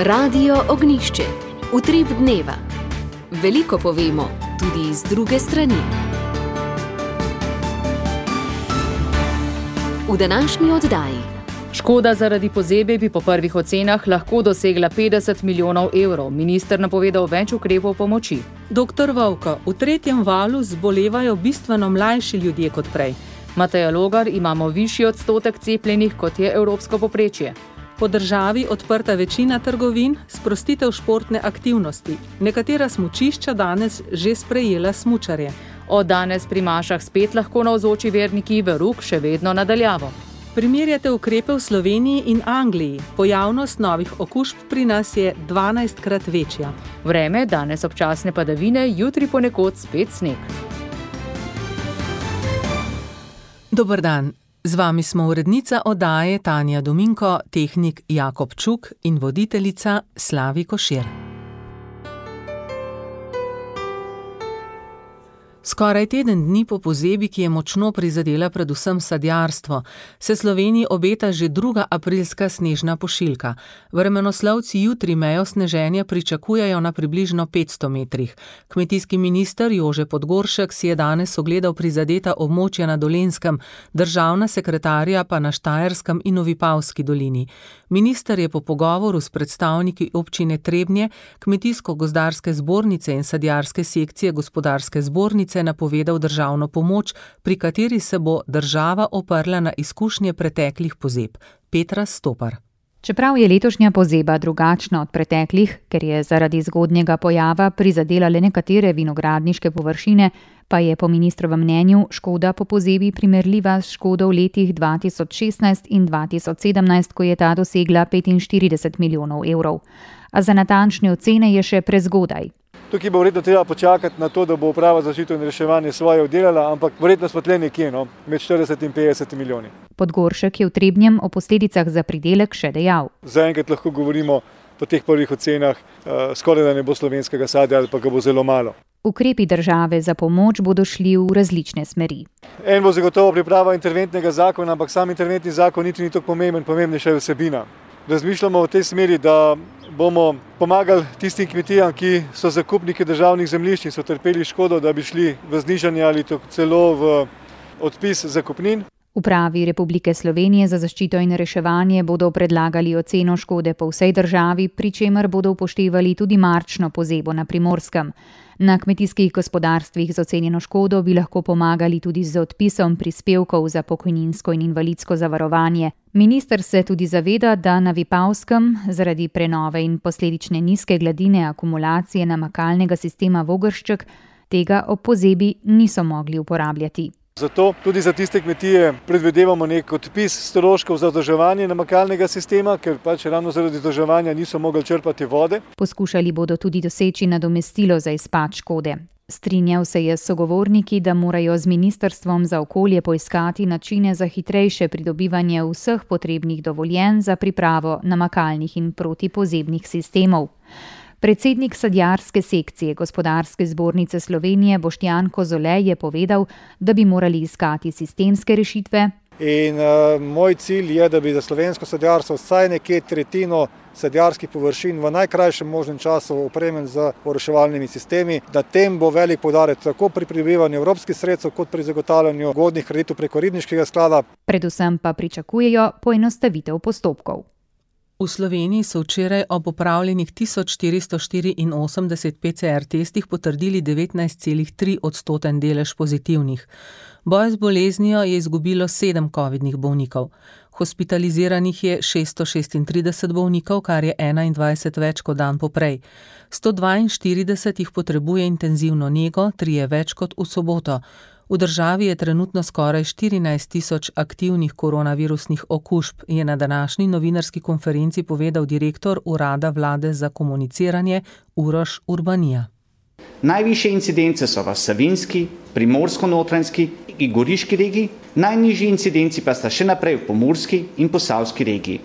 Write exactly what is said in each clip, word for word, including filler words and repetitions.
Radio Ognjišče. Utrip dneva. Veliko povemo, tudi iz druge strani. V današnji oddaji. Škoda zaradi pozebe bi po prvih ocenah lahko dosegla petdeset milijonov evrov. Minister napovedal več ukrepov pomoči. Doktor Vovko, v tretjem valu zbolevajo bistveno mlajši ljudje kot prej. Mateja Logar, imamo višji odstotek cepljenih, kot je evropsko povprečje. Po državi odprta večina trgovin, sprostitev športne aktivnosti. Nekatera smučišča danes že sprejela smučarje. Od danes pri mašah spet lahko navzoči verniki, veruk še vedno nadaljavo. Primerjate ukrepe v Sloveniji in Angliji. Pojavnost novih okužb pri nas je dvanajstkrat večja. Vreme, danes občasne padavine, jutri ponekod spet sneg. Dober dan. Z vami smo urednica oddaje Tanja Dominko, tehnik Jakob Čuk in voditeljica Slavi Košir. Skoraj teden dni po pozebi, ki je močno prizadela predvsem sadjarstvo, se Sloveniji obeta že druga aprilska snežna pošiljka. Vremenoslovci jutri mejo sneženja pričakujejo na približno petsto metrih. Kmetijski minister Jože Podgoršek si je danes ogledal prizadeta območja na Dolenjskem, državna sekretarja pa na Štajerskem in v Vipavski dolini. Minister je po pogovoru s predstavniki občine Trebnje, Kmetijsko-gozdarske zbornice in sadjarske sekcije Gospodarske zbornice napovedal državno pomoč, pri kateri se bo država oprla na izkušnje preteklih pozeb. Petra Stopar. Čeprav je letošnja pozeba drugačna od preteklih, ker je zaradi zgodnjega pojava prizadela le nekatere vinogradniške površine, pa je po ministrovem mnenju škoda po pozebi primerljiva s škodo v letih dva tisoč šestnajst in dva tisoč sedemnajst, ko je ta dosegla petinštirideset milijonov evrov. A za natančne ocene je še prezgodaj. Tukaj bo verjetno treba počakati na to, da bo uprava za zaščito in reševanje svoje oddelala, ampak verjetno smo tle nekje, no, med štirideset in petdeset milijoni. Podgoršek je v Trebnjem o posledicah za pridelek še dejal. Zaenkrat lahko govorimo po teh prvih ocenah, uh, skoraj da ne bo slovenskega sadja ali pa ga bo zelo malo. Ukrepi države za pomoč bodo šli v različne smeri. En bo zagotovo priprava interventnega zakona, ampak sam interventni zakon niti ni tako pomemben, pomembnejša je vsebina. Razmišljamo v tej smeri, da bomo pomagali tistim kmetijam, ki so zakupniki državnih zemljišč in so trpeli škodo, da bi šli v znižanje ali celo v odpis zakupnin. Upravi Republike Slovenije za zaščito in reševanje bodo predlagali oceno škode po vsej državi, pri čemer bodo upoštevali tudi marčno pozebo na Primorskem. Na kmetijskih gospodarstvih z ocenjeno škodo bi lahko pomagali tudi z odpisom prispevkov za pokojninsko in invalidsko zavarovanje. Minister se tudi zaveda, da na Vipavskem zaradi prenove in posledične nizke gladine akumulacije namakalnega sistema Vogršček tega ob pozebi niso mogli uporabljati. Zato tudi za tiste kmetije predvidevamo nek odpis stroškov za vzdrževanje namakalnega sistema, ker pač ravno zaradi vzdrževanja niso mogli črpati vode. Poskušali bodo tudi doseči nadomestilo za izpad škode. Strinjal se je s sogovorniki, da morajo z Ministrstvom za okolje poiskati načine za hitrejše pridobivanje vseh potrebnih dovoljenj za pripravo namakalnih in protipozebnih sistemov. Predsednik sadjarske sekcije Gospodarske zbornice Slovenije Boštjan Kozole je povedal, da bi morali iskati sistemske rešitve. In uh, moj cilj je, da bi za slovensko sadjarstvo vsaj nekje tretjino sadjarskih površin v najkrajšem možnem času opremljen z oroševalnimi sistemi. Na tem bo velik poudarek tako pri pridobivanju evropskih sredstev kot pri zagotavljanju ugodnih kreditov preko ribniškega sklada. Predvsem pa pričakujejo poenostavitev postopkov. V Sloveniji so včeraj ob opravljenih tisoč štiristo štiriinosemdeset P C R testih potrdili devetnajst celih tri odstoten delež pozitivnih. Boj z boleznijo je izgubilo sedem covidnih bolnikov. Hospitaliziranih je šeststo šestintrideset bolnikov, kar je enaindvajset več kot dan poprej. sto dvainštirideset jih potrebuje intenzivno nego, trije več kot v soboto. V državi je trenutno skoraj štirinajst tisoč aktivnih koronavirusnih okužb, je na današnji novinarski konferenci povedal direktor Urada vlade za komuniciranje Uroš Urbanija. Najvišje incidence so v Savinjski, Primorsko-Notranjski in Goriški regiji, najnižji incidenci pa sta še naprej v Pomurski in Posavski regiji.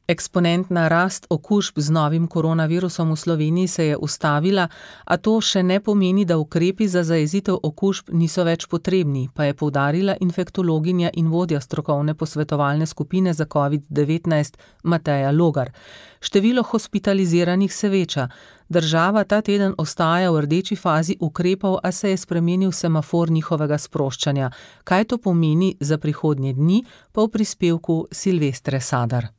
Eksponentna rast okužb z novim koronavirusom v Sloveniji se je ustavila, a to še ne pomeni, da ukrepi za zajezitev okužb niso več potrebni, pa je poudarila infektologinja in vodja strokovne posvetovalne skupine za covid devetnajst Mateja Logar. Število hospitaliziranih se veča. Država ta teden ostaja v rdeči fazi ukrepov, a se je spremenil semafor njihovega sproščanja. Kaj to pomeni za prihodnje dni, pa v prispevku Silvestre Sadar.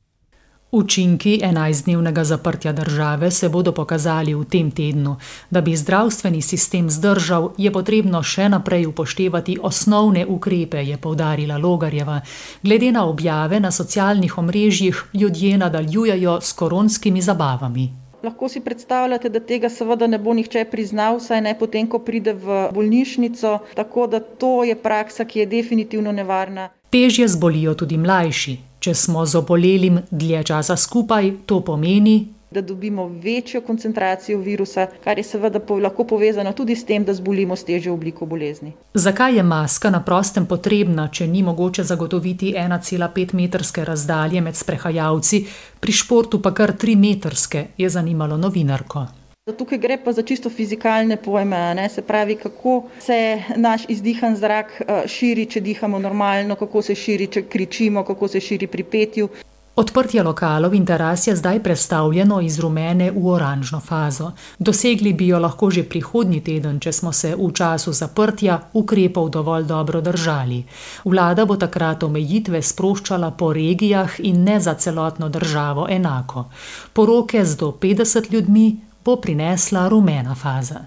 Učinki enajstdnevnega zaprtja države se bodo pokazali v tem tednu. Da bi zdravstveni sistem zdržal, je potrebno še naprej upoštevati osnovne ukrepe, je poudarila Logarjeva. Glede na objave na socialnih omrežjih ljudje nadaljujejo s koronskimi zabavami. Lahko si predstavljate, da tega seveda ne bo nihče priznal, saj ne potem, ko pride v bolnišnico, tako da to je praksa, ki je definitivno nevarna. Težje zbolijo tudi mlajši. Če smo z obolelim dlje časa skupaj, to pomeni, da dobimo večjo koncentracijo virusa, kar je seveda lahko povezano tudi s tem, da zbolimo s težjo obliko bolezni. Zakaj je maska na prostem potrebna, če ni mogoče zagotoviti ena cela pet metrske razdalje med sprehajalci, pri športu pa kar tri metrske, je zanimalo novinarko. Tukaj gre pa za čisto fizikalne pojme, ne? Se pravi, kako se naš izdihan zrak širi, če dihamo normalno, kako se širi, če kričimo, kako se širi pri petju. Odprtje lokalov in teras je zdaj prestavljeno iz rumene v oranžno fazo. Dosegli bi jo lahko že prihodnji teden, če smo se v času zaprtja ukrepov dovolj dobro držali. Vlada bo takrat omejitve sproščala po regijah in ne za celotno državo enako. Poroke z do petdeset ljudmi bo prinesla rumena faza.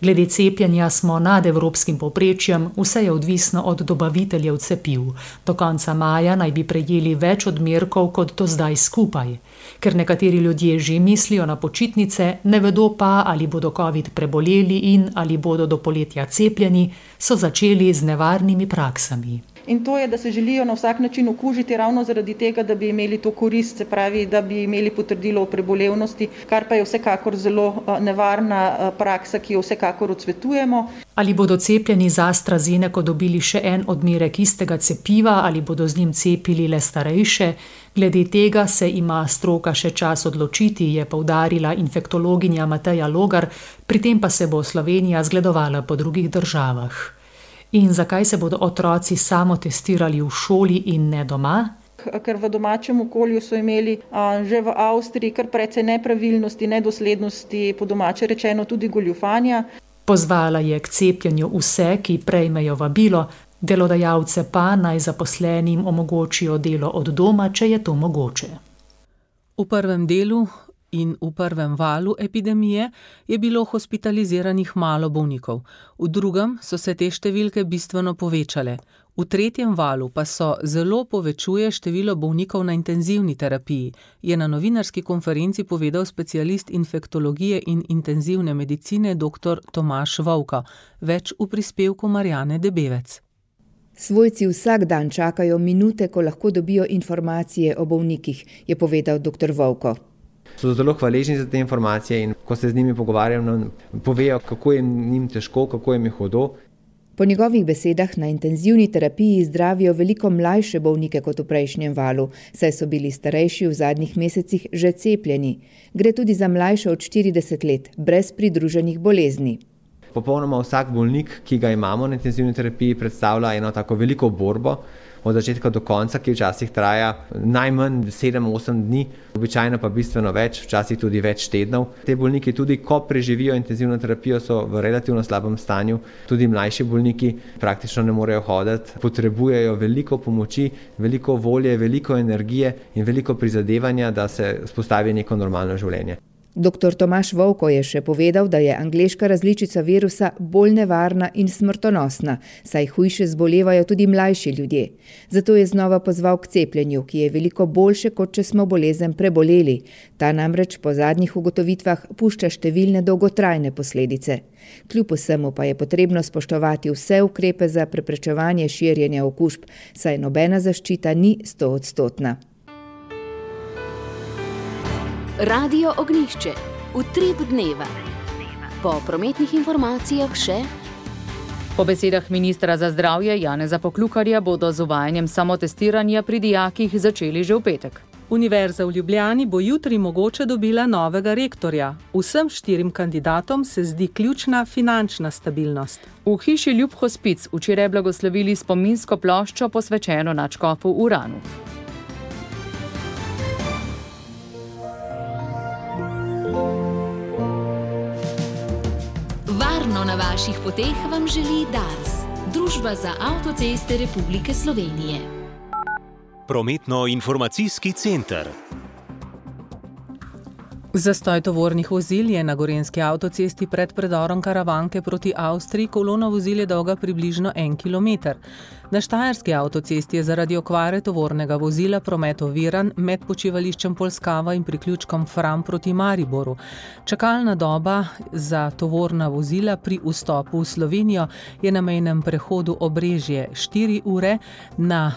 Glede cepljenja smo nad evropskim povprečjem, vse je odvisno od dobaviteljev cepiv. Do konca maja naj bi prejeli več odmerkov kot do zdaj skupaj. Ker nekateri ljudje že mislijo na počitnice, ne vedo pa, ali bodo covid preboleli in ali bodo do poletja cepljeni, so začeli z nevarnimi praksami. In to je, da se želijo na vsak način okužiti ravno zaradi tega, da bi imeli to korist, se pravi, da bi imeli potrdilo o prebolevnosti, kar pa je vsekakor zelo nevarna praksa, ki jo vsekakor odsvetujemo. Ali bodo cepljeni z AstraZeneco dobili še en odmerek istega cepiva ali bodo z njim cepili le starejše? Glede tega se ima stroka še čas odločiti, je poudarila infektologinja Mateja Logar, pri tem pa se bo Slovenija zgledovala po drugih državah. In zakaj se bodo otroci samo testirali v šoli in ne doma? Ker v domačem okolju so imeli a, že v Avstriji kar precej nepravilnosti, nedoslednosti, po domače rečeno tudi goljufanja. Pozvala je k cepljenju vse, ki prejmejo vabilo, delodajalce pa naj zaposlenim omogočijo delo od doma, če je to mogoče. V prvem delu in v prvem valu epidemije je bilo hospitaliziranih malo bolnikov. V drugem so se te številke bistveno povečale. V tretjem valu pa so zelo povečuje število bolnikov na intenzivni terapiji, je na novinarski konferenci povedal specialist infektologije in intenzivne medicine dr. Tomaž Vovko. Več v prispevku Marjane Debevec. Svojci vsak dan čakajo minute, ko lahko dobijo informacije o bolnikih, je povedal dr. Vovko. So zelo hvaležni za te informacije in ko se z njimi pogovarjam, povejo, kako je njim težko, kako jim je hudo. Po njegovih besedah na intenzivni terapiji zdravijo veliko mlajše bolnike kot v prejšnjem valu, saj so bili starejši v zadnjih mesecih že cepljeni. Gre tudi za mlajše od štirideset let, brez pridruženih bolezni. Popolnoma vsak bolnik, ki ga imamo na intenzivni terapiji, predstavlja eno tako veliko borbo, od začetka do konca, ki včasih traja najmanj sedem osem dni, običajno pa bistveno več, včasih tudi več tednov. Te bolniki tudi, ko preživijo intenzivno terapijo, so v relativno slabem stanju. Tudi mlajši bolniki praktično ne morejo hoditi, potrebujejo veliko pomoči, veliko volje, veliko energije in veliko prizadevanja, da se vzpostavi neko normalno življenje. doktor Tomaž Vovko je še povedal, da je angleška različica virusa bolj nevarna in smrtonosna, saj hujše zbolevajo tudi mlajši ljudje. Zato je znova pozval k cepljenju, ki je veliko boljše, kot če smo bolezen preboleli. Ta namreč po zadnjih ugotovitvah pušča številne dolgotrajne posledice. Kljub vsemu pa je potrebno spoštovati vse ukrepe za preprečevanje širjenja okužb, saj nobena zaščita ni stoodstotna. Radio Ognjišče, utrip dneva. Po prometnih informacijah še... Po besedah ministra za zdravje Janeza Poklukarja bodo z uvajanjem samotestiranja pri dijakih začeli že v petek. Univerza v Ljubljani bo jutri mogoče dobila novega rektorja. Vsem štirim kandidatom se zdi ključna finančna stabilnost. V hiši Ljub Hospic včeraj blagoslovili spominsko ploščo posvečeno nadškofu Uranu. Varno na vaših poteh vam želi Dars, Družba za avtoceste Republike Slovenije. Prometno-informacijski center. Zastoj tovornih vozil je na gorenjski avtocesti pred predorom Karavanke proti Avstriji. Kolona vozil je dolga približno en kilometer. Na štajerski avtocesti je zaradi okvare tovornega vozila promet oviran med počivališčem Polskava in priključkom Fram proti Mariboru. Čakalna doba za tovorna vozila pri vstopu v Slovenijo je na mejnem prehodu Obrežje štiri ure, na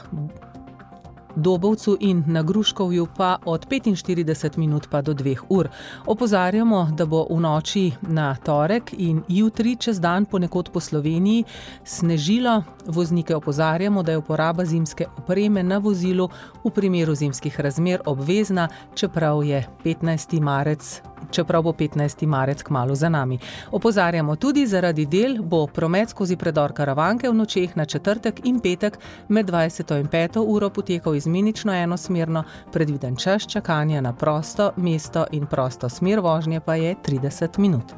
Dobovcu in na Gruškovju pa od petinštirideset minut pa do dveh ur. Opozarjamo, da bo v noči na torek in jutri čez dan ponekod po Sloveniji snežilo. Voznike opozarjamo, da je uporaba zimske opreme na vozilu v primeru zimskih razmer obvezna, čeprav je petnajsti marec čeprav bo petnajsti marec kmalu za nami. Opozarjamo tudi, zaradi del bo promet skozi predor Karavanke v nočeh na četrtek in petek med dvajseto in peto uro potekal izmenično enosmerno, predviden čas čakanja na prosto mesto in prosto smer vožnje pa je trideset minut.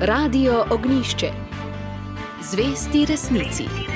Radio Ognjišče. Zvesti resnici.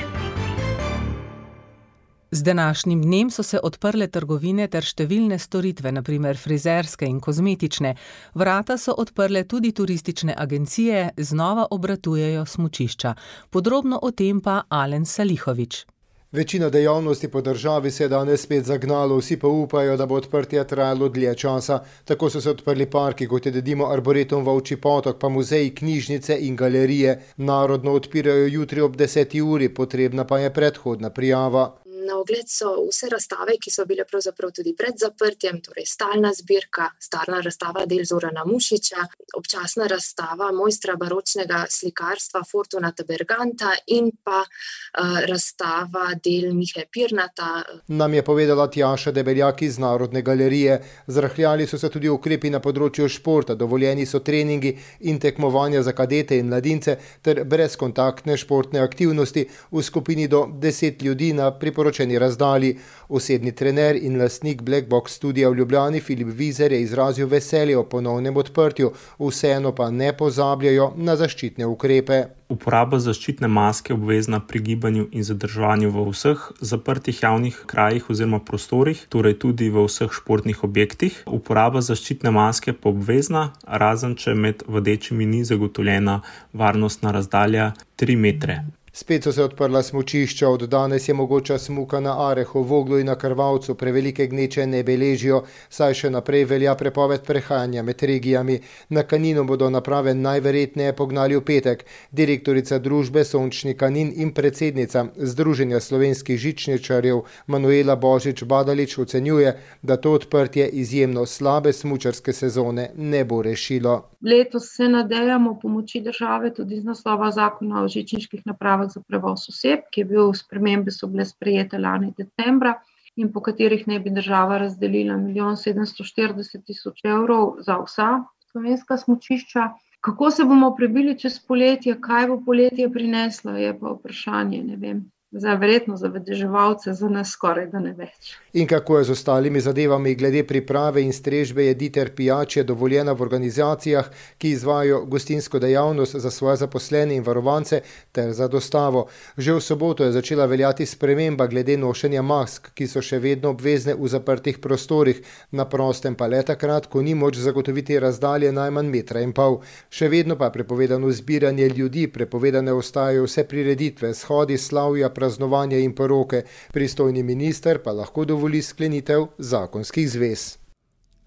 Z današnjim dnem so se odprle trgovine ter številne storitve, na primer frizerske in kozmetične. Vrata so odprle tudi turistične agencije, znova obratujejo smučišča. Podrobno o tem pa Alen Salihovič. Večina dejavnosti po državi se je danes spet zagnalo, vsi pa upajo, da bo odprtje trajalo dlje časa. Tako so se odprli parki, kot je dedimo Arboretum Volčji potok, pa muzeji, knjižnice in galerije. Narodno odpirajo jutri ob deseti uri, potrebna pa je predhodna prijava. Na ogled so vse razstave, ki so bile pravzaprav tudi pred zaprtjem, torej stalna zbirka, stalna razstava del Zorana Mušiča, občasna razstava mojstra baročnega slikarstva Fortunata Berganta in pa uh, razstava del Mihe Pirnata. Nam je povedala Tjaša Debeljak iz Narodne galerije. Zrahljali so se tudi ukrepi na področju športa, dovoljeni so treningi in tekmovanja za kadete in mladince ter brezkontaktne športne aktivnosti v skupini do deset ljudi na priporočenju razdalji. Osebni trener in lastnik Black Box studija v Ljubljani Filip Vizer je izrazil veselje o ponovnem odprtju, vseeno pa ne pozabljajo na zaščitne ukrepe. Uporaba zaščitne maske obvezna pri gibanju in zadrževanju v vseh zaprtih javnih krajih oziroma prostorih, torej tudi v vseh športnih objektih. Uporaba zaščitne maske pa obvezna, razen če med vadečimi ni zagotovljena varnostna razdalja tri metre. Spet so se odprla smučišča, od danes je mogoča smuka na Arehu, Voglu in na Krvavcu, prevelike gneče ne beležijo, saj še naprej velja prepoved prehajanja med regijami. Na Kaninu bodo naprave najverjetneje pognali v petek. Direktorica družbe Sončni Kanin in predsednica Združenja slovenskih žičničarjev Manuela Božič-Badalič ocenjuje, da to odprtje izjemno slabe smučarske sezone ne bo rešilo. Letos se nadejamo pomoči države tudi z naslova zakona o žičniških napravah za prevoz oseb, ki je bil spremembe so bile sprejete lani decembra in po katerih naj bi država razdelila milijon sedemsto štirideset tisoč evrov za vsa slovenska smučišča. Kako se bomo prebili čez poletje, kaj bo poletje prineslo, je pa vprašanje, ne vem. Za verjetno za vedeževalce, za nas skoraj da ne več. In kako je z ostalimi zadevami glede priprave in strežbe jedi ter pijače dovoljena v organizacijah, ki izvajajo gostinsko dejavnost za svoje zaposlene in varovance ter za dostavo. Že v soboto je začela veljati sprememba glede nošenja mask, ki so še vedno obvezne v zaprtih prostorih, na prostem pa le takrat, ko ni moč zagotoviti razdalje najmanj metra in pol. Še vedno pa je prepovedano zbiranje ljudi, prepovedane ostajajo vse prireditve, shodi, slavja, praznovanje in poroke. Pristojni minister pa lahko dovoli sklenitev zakonskih zvez.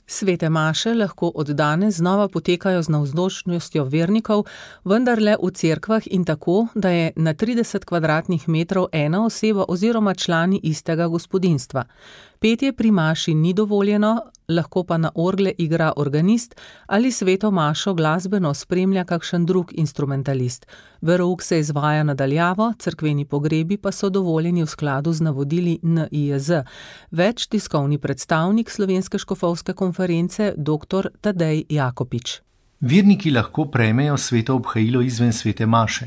Svete maše lahko od danes znova potekajo z navzočnostjo vernikov, vendar le v cerkvah in tako, da je na trideset kvadratnih metrov ena oseba oziroma člani istega gospodinjstva. Petje pri maši ni dovoljeno, lahko pa na orgle igra organist ali sveto mašo glasbeno spremlja kakšen drug instrumentalist. Verouk se izvaja nadaljavo, cerkveni pogrebi pa so dovoljeni v skladu z navodili N I J Z. Več tiskovni predstavnik Slovenske škofovske konference dr. Tadej Jakopič. Verniki lahko prejmejo sveto obhajilo izven svete maše.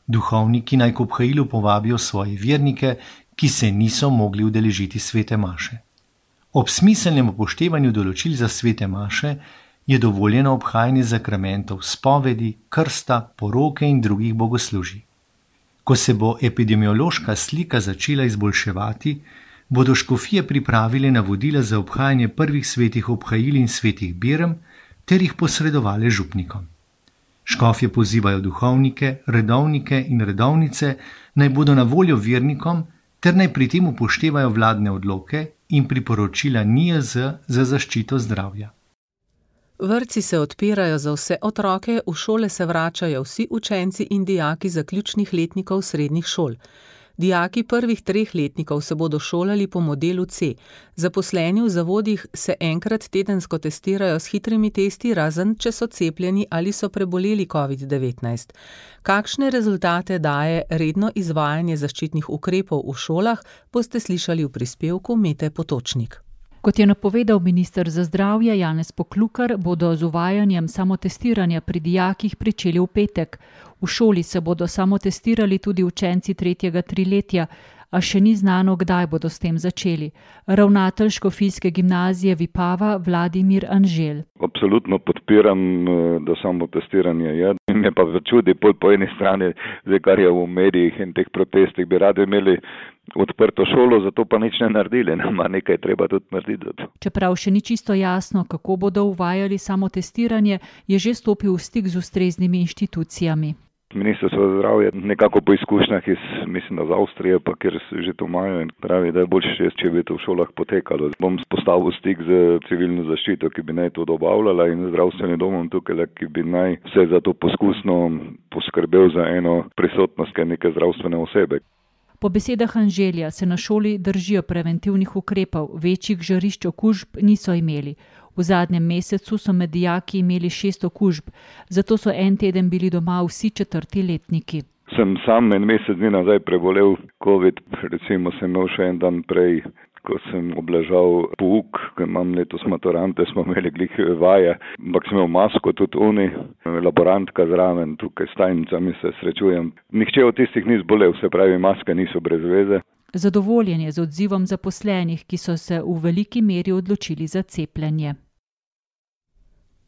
Duhovniki naj k obhajilu povabijo svoje vernike, ki se niso mogli udeležiti svete maše. Ob smiselnem upoštevanju določil za svete maše je dovoljeno obhajanje zakramentov spovedi, krsta, poroke in drugih bogoslužij. Ko se bo epidemiološka slika začela izboljševati, bodo škofije pripravile navodila za obhajanje prvih svetih obhajil in svetih birem ter jih posredovale župnikom. Škofje pozivajo duhovnike, redovnike in redovnice, naj bodo na voljo vernikom ter naj pri tem upoštevajo vladne odloke in priporočila N I J Z za zaščito zdravja. Vrtci se odpirajo za vse otroke, v šole se vračajo vsi učenci in dijaki zaključnih letnikov srednjih šol. Dijaki prvih treh letnikov se bodo šolali po modelu C. Zaposleni v zavodih se enkrat tedensko testirajo s hitrimi testi, razen če so cepljeni ali so preboleli covid devetnajst. Kakšne rezultate daje redno izvajanje zaščitnih ukrepov v šolah, boste slišali v prispevku Mete Potočnik. Kot je napovedal minister za zdravje Janez Poklukar, bodo z uvajanjem samotestiranja pri dijakih pričeli v petek. V šoli se bodo samotestirali tudi učenci tretjega triletja, a še ni znano, kdaj bodo s tem začeli. Ravnatelj škofijske gimnazije Vipava Vladimir Anžel. Absolutno podpiram, da samotestiranje je. Me pa začudi pol po eni strani, zdaj kar je v medijih in teh protestih, bi radi imeli odprto šolo, zato pa nič ne naredili, nama nekaj treba tudi narediti. Čeprav še ni čisto jasno, kako bodo uvajali samotestiranje, je že stopil v stik z ustreznimi inštitucijami. Ministrstvo za zdravje nekako po izkušnjah iz, mislim, iz Avstrije, pa kjer že to imajo in pravi, da je boljše, če bi to v šolah potekalo. Bom postavil stik z civilno zaščito, ki bi naj to dobavljala, in zdravstvenim domom tukaj, ki bi naj vse za to poskusno poskrbel za eno prisotnost neke zdravstvene osebe. Po besedah Anželja se na šoli držijo preventivnih ukrepov, večjih žarišč okužb niso imeli. V zadnjem mesecu so med dijaki imeli šest okužb, zato so en teden bili doma vsi četrti letniki. Sem sam en mesec dni nazaj prebolel covid, recimo sem imel še en dan prej, ko sem obležal pouk, ko imam letos maturante, smo imeli glih vaje, ampak sem imel masko tudi oni, laborantka zraven, tukaj s tajnicami se srečujem. Nihče od tistih ni zbolel, se pravi, maske niso brez veze. Zadovoljen je z odzivom zaposlenih, ki so se v veliki meri odločili za cepljenje.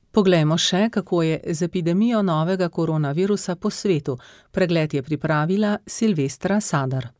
Poglejmo še, kako je z epidemijo novega koronavirusa po svetu. Pregled je pripravila Silvestra Sadar.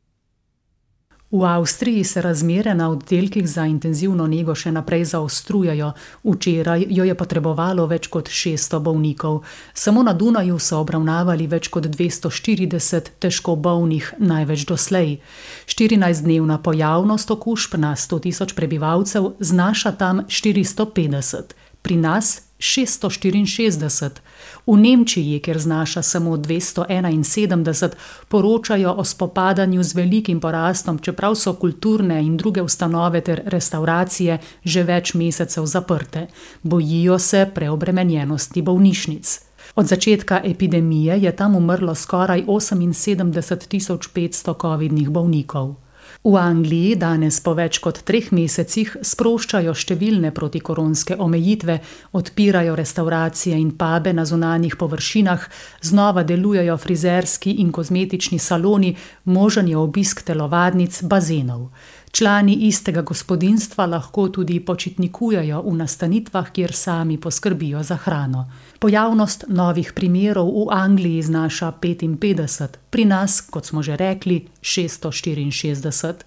V Avstriji se razmere na oddelkih za intenzivno nego še naprej zaostrujajo. Včeraj jo je potrebovalo več kot šeststo bolnikov. Samo na Dunaju so obravnavali več kot dvesto štirideset težko bolnih, največ doslej. štirinajstdnevna pojavnost okužb na sto tisoč prebivalcev znaša tam štiristo petdeset. Pri nas šeststo štiriinšestdeset. V Nemčiji, kjer znaša samo dvesto enainsedemdeset, poročajo o spopadanju z velikim porastom, čeprav so kulturne in druge ustanove ter restauracije že več mesecev zaprte. Bojijo se preobremenjenosti bolnišnic. Od začetka epidemije je tam umrlo skoraj oseminsedemdeset tisoč petsto covidnih bolnikov. V Angliji danes po več kot treh mesecih sproščajo številne protikoronske omejitve, odpirajo restauracije in pube na zunanjih površinah, znova delujejo frizerski in kozmetični saloni, možen je obisk telovadnic, bazenov. Člani istega gospodinjstva lahko tudi počitnikujejo v nastanitvah, kjer sami poskrbijo za hrano. Pojavnost novih primerov v Angliji znaša petinpetdeset, pri nas, kot smo že rekli, šeststo štiriinšestdeset.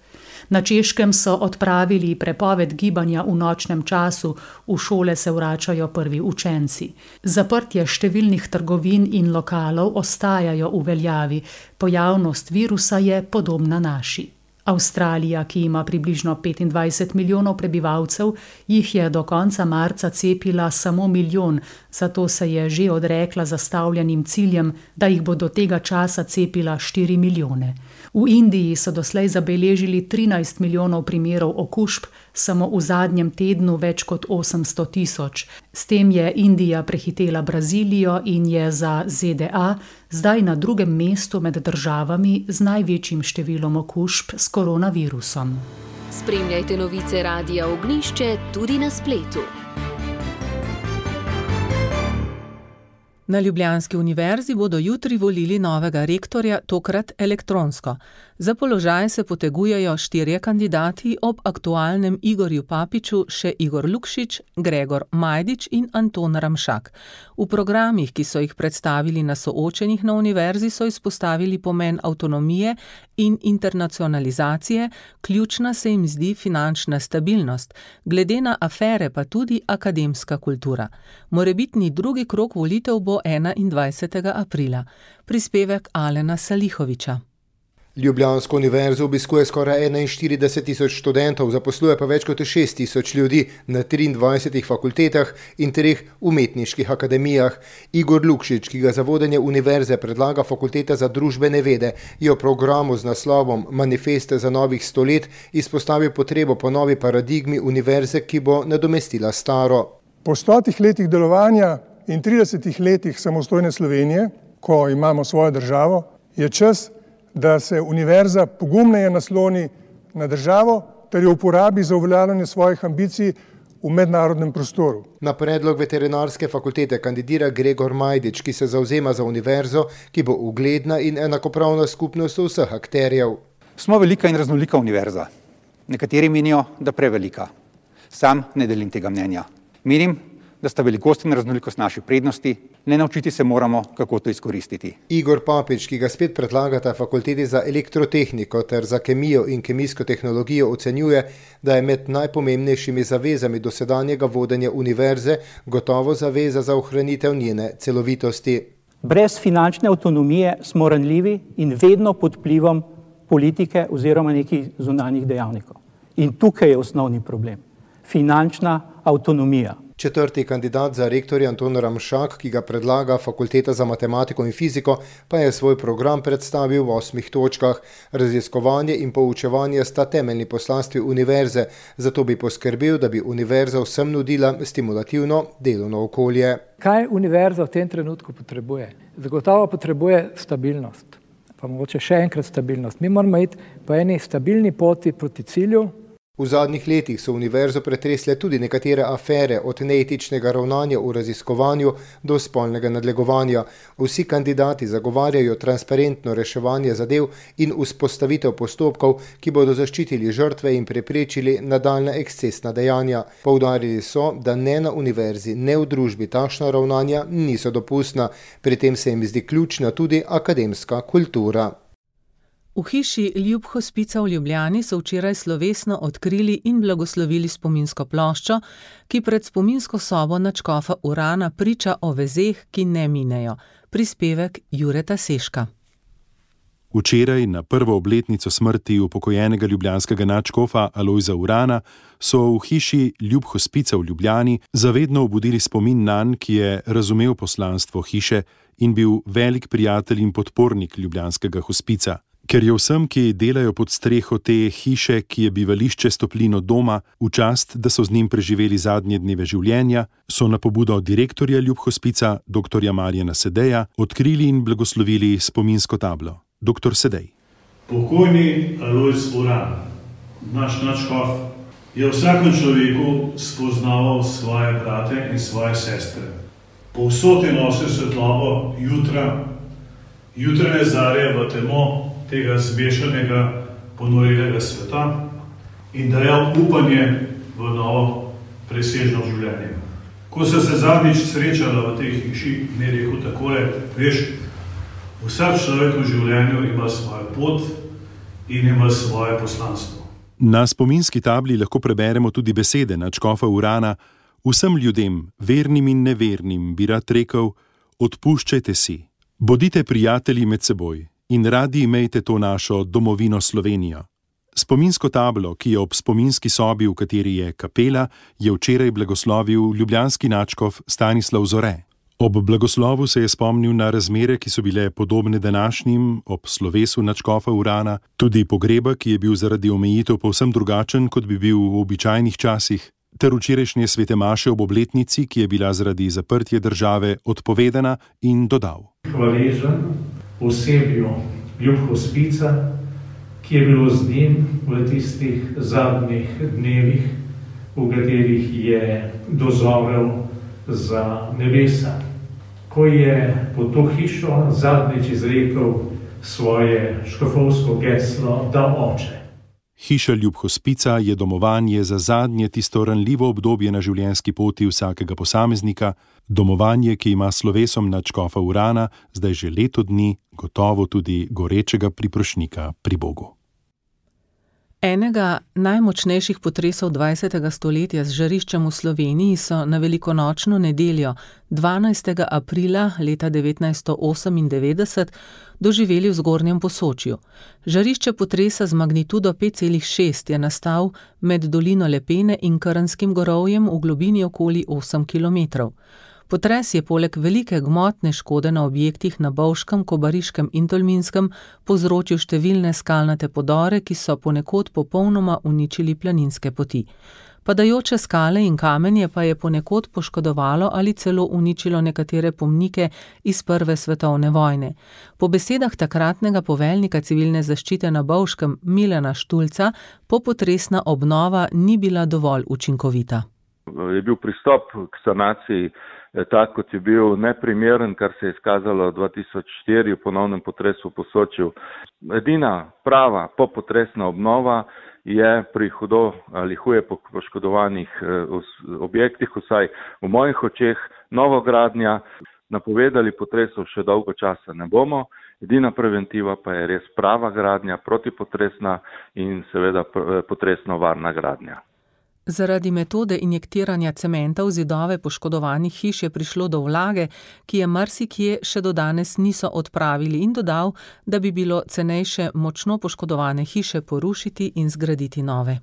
Na Češkem so odpravili prepoved gibanja v nočnem času, v šole se vračajo prvi učenci. Zaprtje številnih trgovin in lokalov ostajajo v veljavi, pojavnost virusa je podobna naši. Avstralija, ki ima približno petindvajset milijonov prebivalcev, jih je do konca marca cepila samo milijon, zato se je že odrekla zastavljenim ciljem, da jih bo do tega časa cepila štiri milijone. V Indiji so doslej zabeležili trinajst milijonov primerov okužb, samo v zadnjem tednu več kot osemsto tisoč. S tem je Indija prehitela Brazilijo in je za Z D A zdaj na drugem mestu med državami z največjim številom okužb s koronavirusom. Spremljajte novice Radia Ognjišče tudi na spletu. Na ljubljanski univerzi bodo jutri volili novega rektorja, tokrat elektronsko. Za položaj se potegujejo štirje kandidati, ob aktualnem Igorju Papiču še Igor Lukšič, Gregor Majdič in Anton Ramšak. V programih, ki so jih predstavili na soočenjih na univerzi, so izpostavili pomen avtonomije in internacionalizacije, ključna se jim zdi finančna stabilnost, glede na afere pa tudi akademska kultura. Morebitni drugi krog volitev bo enaindvajsetega aprila. Prispevek Alena Salihoviča. Ljubljansko univerzo obiskuje skoraj enainštirideset tisoč študentov, zaposluje pa več kot šest tisoč ljudi na triindvajsetih fakultetah in treh umetniških akademijah. Igor Lukšič, ki ga za vodenje univerze predlaga Fakulteta za družbene vede, je v programu z naslovom Manifest za novih sto let izpostavil potrebo po novi paradigmi univerze, ki bo nadomestila staro. Po stotih letih delovanja in tridesetih letih samostojne Slovenije, ko imamo svojo državo, je čas, da se univerza pogumneje nasloni na državo ter jo uporabi za uveljavljanje svojih ambicij v mednarodnem prostoru. Na predlog veterinarske fakultete kandidira Gregor Majdič, ki se zavzema za univerzo, ki bo ugledna in enakopravna skupnost vseh akterjev. Smo velika in raznolika univerza. Nekateri menijo, da prevelika. Sam ne delim tega mnenja. Menim, da sta velikost in raznolikost naših prednosti, le naučiti se moramo, kako to izkoristiti. Igor Papič, ki ga spet predlagata Fakulteti za elektrotehniko ter za kemijo in kemijsko tehnologijo, ocenjuje, da je med najpomembnejšimi zavezami dosedanjega vodenja univerze gotovo zaveza za ohranitev njene celovitosti. Brez finančne avtonomije smo ranljivi in vedno pod vplivom politike oziroma nekih zunanjih dejavnikov. In tukaj je osnovni problem. Finančna avtonomija. Četrti kandidat za rektorja Anton Ramšak, ki ga predlaga Fakulteta za matematiko in fiziko, pa je svoj program predstavil v osmih točkah. Raziskovanje in poučevanje sta temeljni poslanstvi univerze, zato bi poskrbel, da bi univerza vsem nudila stimulativno delovno okolje. Kaj univerza v tem trenutku potrebuje? Zagotovo potrebuje stabilnost, pa mogoče še enkrat stabilnost. Mi moramo iti po eni stabilni poti proti cilju. V zadnjih letih so univerzo pretresle tudi nekatere afere, od neetičnega ravnanja v raziskovanju do spolnega nadlegovanja. Vsi kandidati zagovarjajo transparentno reševanje zadev in vzpostavitev postopkov, ki bodo zaščitili žrtve in preprečili nadaljnja ekscesna dejanja. Poudarili so, da ne na univerzi, ne v družbi takšna ravnanja niso dopustna. Pri tem se jim zdi ključna tudi akademska kultura. V hiši Ljub Hospica v Ljubljani so včeraj slovesno odkrili in blagoslovili spominsko ploščo, ki pred spominsko sobo nadškofa Urana priča o vezeh, ki ne minejo. Prispevek Jureta Seška. Včeraj, na prvo obletnico smrti upokojenega ljubljanskega nadškofa Alojza Urana, so v hiši Ljub Hospica v Ljubljani zavedno obudili spomin nanj, ki je razumel poslanstvo hiše in bil velik prijatelj in podpornik ljubljanskega hospica. Ker je vsem, ki delajo pod streho te hiše, ki je bivališče s toplino doma, v čast, da so z njim preživeli zadnje dneve življenja, so na pobudo direktorja Ljub Hospica, doktorja Marjana Sedeja, odkrili in blagoslovili spominsko tablo. Doktor Sedej. Pokojni Alojz Uran, naš nadškof, je v vsakem človeku spoznaval svoje brate in svoje sestre. Povsod je nosil svetlobo jutra, jutranje zarje v temo tega zmešanega, ponorelega sveta in dajal upanje v novo presežno življenje. Ko so se zadnjič srečala v tej hiši, mi je rekel takole, veš, vsak človek v življenju ima svojo pot in ima svoje poslanstvo. Na spominski tabli lahko preberemo tudi besede nadškofa Urana: vsem ljudem, vernim in nevernim, bi rad rekel, odpuščajte si, bodite prijatelji med seboj in radi imejte to našo domovino Slovenijo. Spominsko tablo, ki je ob spominski sobi, v kateri je kapela, je včeraj blagoslovil ljubljanski nadškof Stanislav Zore. Ob blagoslovu se je spomnil na razmere, ki so bile podobne današnjim, ob slovesu nadškofa Urana, tudi pogreba, ki je bil zaradi omejitev povsem drugačen, kot bi bil v običajnih časih, ter včerajšnje svete maše ob obletnici, ki je bila zaradi zaprtja države odpovedana, in dodal: Hvaležen osebju ljubhospica, ki je bilo z njim v tistih zadnjih dnevih, v katerih je dozovel za nebesa. Ko je po to hišo zadnjič izrekel svoje škofovsko geslo, da oče. Hiša ljubhospica je domovanje za zadnje tisto ranljivo obdobje na življenjski poti vsakega posameznika, domovanje, ki ima slovesom nadškofa Urana zdaj že leto dni gotovo tudi gorečega priprošnika pri Bogu. Enega najmočnejših potresov dvajsetega stoletja z žariščem v Sloveniji so na velikonočno nedeljo, dvanajstega aprila leta devetnajststo osemindevetdeset, doživeli v Zgornjem Posočju. Žarišče potresa z magnitudo pet celih šest je nastal med dolino Lepene in Krnskim gorovjem v globini okoli osem kilometrov. Potres je poleg velike gmotne škode na objektih na Bovškem, Kobariškem in Tolminskem povzročil številne skalnate podore, ki so ponekod popolnoma uničili planinske poti. Padajoče skale in kamenje pa je ponekod poškodovalo ali celo uničilo nekatere pomnike iz Prve svetovne vojne. Po besedah takratnega poveljnika civilne zaščite na Bovškem Milana Štulca, popotresna obnova ni bila dovolj učinkovita. Je bil pristop k sanaciji tak, kot je bil, neprimeren, kar se je izkazalo dva tisoč štiri v ponovnem potresu v Posočju. Edina prava popotresna obnova je pri hudo ali huje poškodovanih objektih, vsaj v mojih očeh, novogradnja. Napovedali potresov še dolgo časa ne bomo, edina preventiva pa je res prava gradnja, protipotresna in seveda potresno varna gradnja. Zaradi metode injektiranja cementa v zidove poškodovanih hiš je prišlo do vlage, ki je marsikje še do danes niso odpravili, in dodal, da bi bilo cenejše močno poškodovane hiše porušiti in zgraditi nove.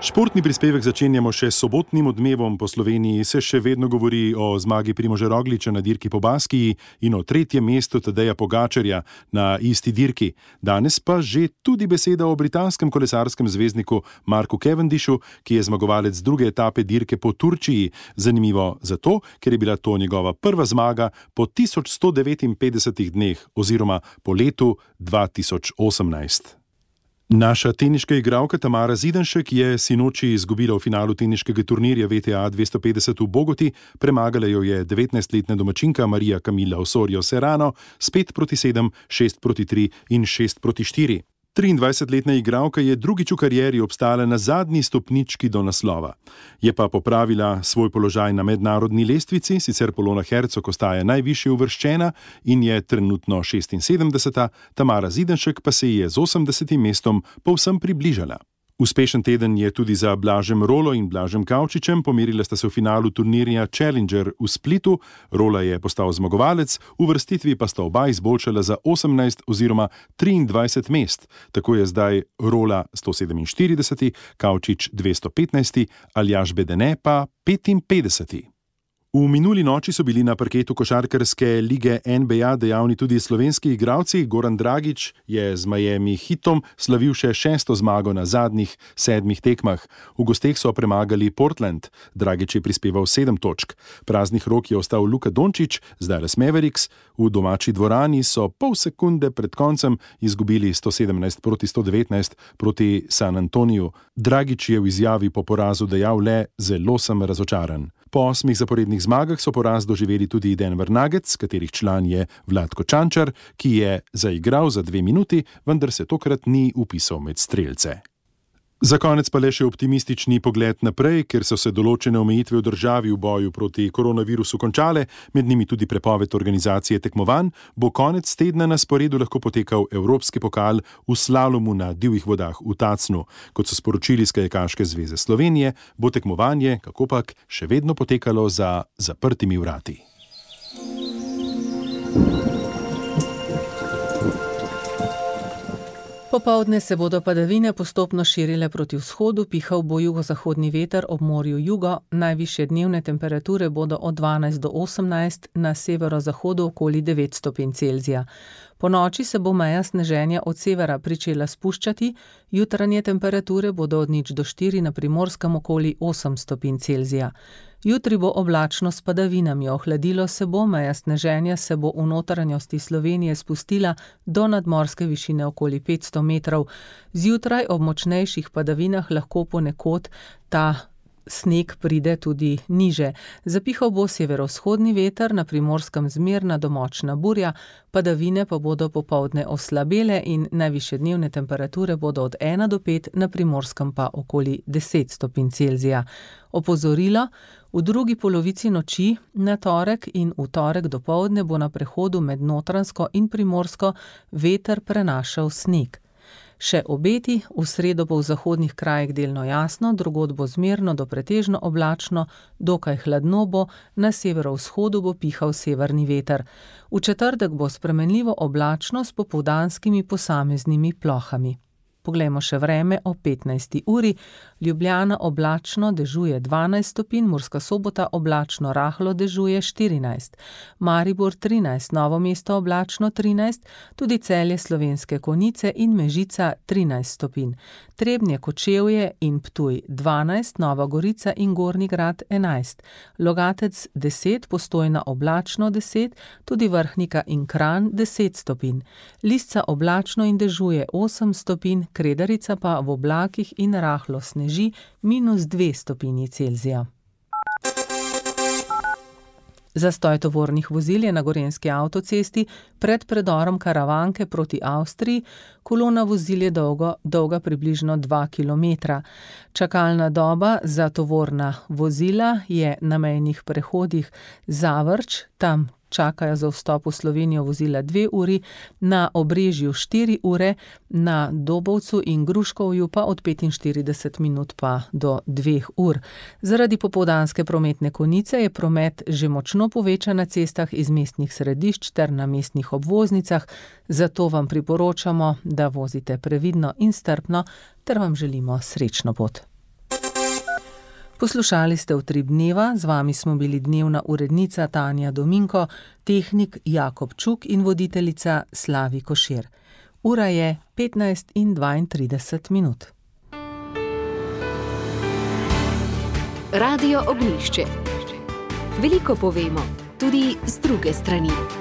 Športni prispevek začenjamo še s sobotnim odmevom. Po Sloveniji se še vedno govori o zmagi Primoža Rogliča na dirki po Baskiji in o tretjem mestu Tadeja Pogačarja na isti dirki. Danes pa že tudi beseda o britanskem kolesarskem zvezdniku Marku Cavendishu, ki je zmagovalec druge etape dirke po Turčiji. Zanimivo zato, ker je bila to njegova prva zmaga po tisoč sto devetinpetdesetih dneh oziroma po letu dva tisoč osemnajst. Naša teniška igralka Tamara Zidanšek je sinoči izgubila v finalu teniškega turnirja V T A dvesto petdeset v Bogoti, premagala jo je devetnajstletna domačinka Marija Camila Osorio Serrano s pet proti sedem, šest proti tri in šest proti štiri. triindvajsetletna igralka je drugič v karieri obstala na zadnji stopnički do naslova. Je pa popravila svoj položaj na mednarodni lestvici, sicer Polona Hercog ostaja najvišje uvrščena in je trenutno šestinsedemdeseta, Tamara Zidanšek pa se je z osemdesetim mestom povsem približala. Uspešen teden je tudi za Blažem Rolo in Blažem Kavčičem, pomerila sta se v finalu turnirja Challenger v Splitu. Rola je postal zmagovalec, v vrstitvi pa sta oba izboljšala za osemnajst oziroma triindvajset mest. Tako je zdaj Rola sto sedeminštirideseti, Kavčič dvesto petnajsti, Aljaž Bedene pa petinpetdeseti. V minuli noči so bili na parketu košarkarske lige N B A dejavni tudi slovenski igralci. Goran Dragić je z Miami Heatom slavil še šesto zmago na zadnjih sedmih tekmah. V gosteh so premagali Portland. Dragić je prispeval sedem točk. Praznih rok je ostal Luka Dončić z Dallas Mavericks. V domači dvorani so pol sekunde pred koncem izgubili sto sedemnajst proti sto devetnajst proti San Antoniju. Dragić je v izjavi po porazu dejal le: "Zelo sem razočaran." Po osmih zaporednih zmagah so poraz doživeli tudi Denver Nuggets, katerih član je Vlatko Čančar, ki je zaigral za dve minuti, vendar se tokrat ni vpisal med strelce. Za konec pa le še optimistični pogled naprej, ker so se določene omejitve v državi v boju proti koronavirusu končale, med njimi tudi prepoved organizacije tekmovanj, bo konec tedna na sporedu lahko potekal Evropski pokal v slalomu na divjih vodah v Tacnu. Kot so sporočili iz Kajakaške zveze Slovenije, bo tekmovanje, kakopak, še vedno potekalo za zaprtimi vrati. Popoldne se bodo padavine postopno širile proti vzhodu, pihal bo jugozahodni veter ob morju jugo, najvišje dnevne temperature bodo od dvanajst do osemnajst, na severozahodu okoli devet stopinj Celzija. Po noči se bo meja sneženja od severa pričela spuščati, jutranje temperature bodo od nič do štiri, na Primorskem okoli osem stopinj Celzija. Jutri bo oblačno s padavinami, ohladilo se bo, meja sneženja se bo v notranjosti Slovenije spustila do nadmorske višine okoli petsto metrov. Zjutraj ob močnejših padavinah lahko ponekod ta sneg pride tudi niže. Zapihal bo severovzhodni veter, na Primorskem zmerna do močna burja, padavine pa bodo popoldne oslabele in najvišje dnevne temperature bodo od ena do pet, na Primorskem pa okoli deset stopinj Celzija. Opozorilo: v drugi polovici noči na torek in v torek dopoldne bo na prehodu med Notranjsko in Primorsko veter prenašal sneg. Še obeti: v sredo bo v zahodnih krajih delno jasno, drugod bo zmerno do pretežno oblačno, dokaj hladno bo, na severovzhodu bo pihal severni veter. V četrtek bo spremenljivo oblačno s popoldanskimi posameznimi plohami. Poglejmo še vreme ob petnajsti uri. Ljubljana oblačno, dežuje dvanajst stopinj, Murska Sobota oblačno, rahlo dežuje štirinajst. Maribor trinajst, Novo mesto oblačno trinajst, tudi Celje, Slovenske Konjice in Mežica trinajst stopinj. Trebnje, Kočevje in Ptuj dvanajst, Nova Gorica in Gornji Grad enajst. Logatec deset, Postojna oblačno deset, tudi Vrhnika in Kranj deset stopinj. Lisca oblačno in dežuje osem stopinj, Kredarica pa v oblakih in rahlo sneži, minus dve stopinji Celzija. Zastoj tovornih vozil je na Gorenjski avtocesti pred predorom Karavanke proti Avstriji, kolona vozil je dolgo, dolga približno dva kilometra. Čakalna doba za tovorna vozila je na mejnih prehodih Zavrč, tam čakajo za vstop v Slovenijo vozila dve uri, na Obrežju štiri ure, na Dobovcu in Gruškovju pa od petinštirideset minut pa do dveh ur. Zaradi popoldanske prometne konice je promet že močno povečan na cestah iz mestnih središč ter na mestnih obvoznicah, zato vam priporočamo, da vozite previdno in strpno ter vam želimo srečno pot. Poslušali ste Utrip dneva, z vami smo bili dnevna urednica Tanja Dominko, tehnik Jakob Čuk in voditeljica Slavi Košir. Ura je petnajst in dvaintrideset minut. Radio Ognjišče. Veliko povemo, tudi z druge strani.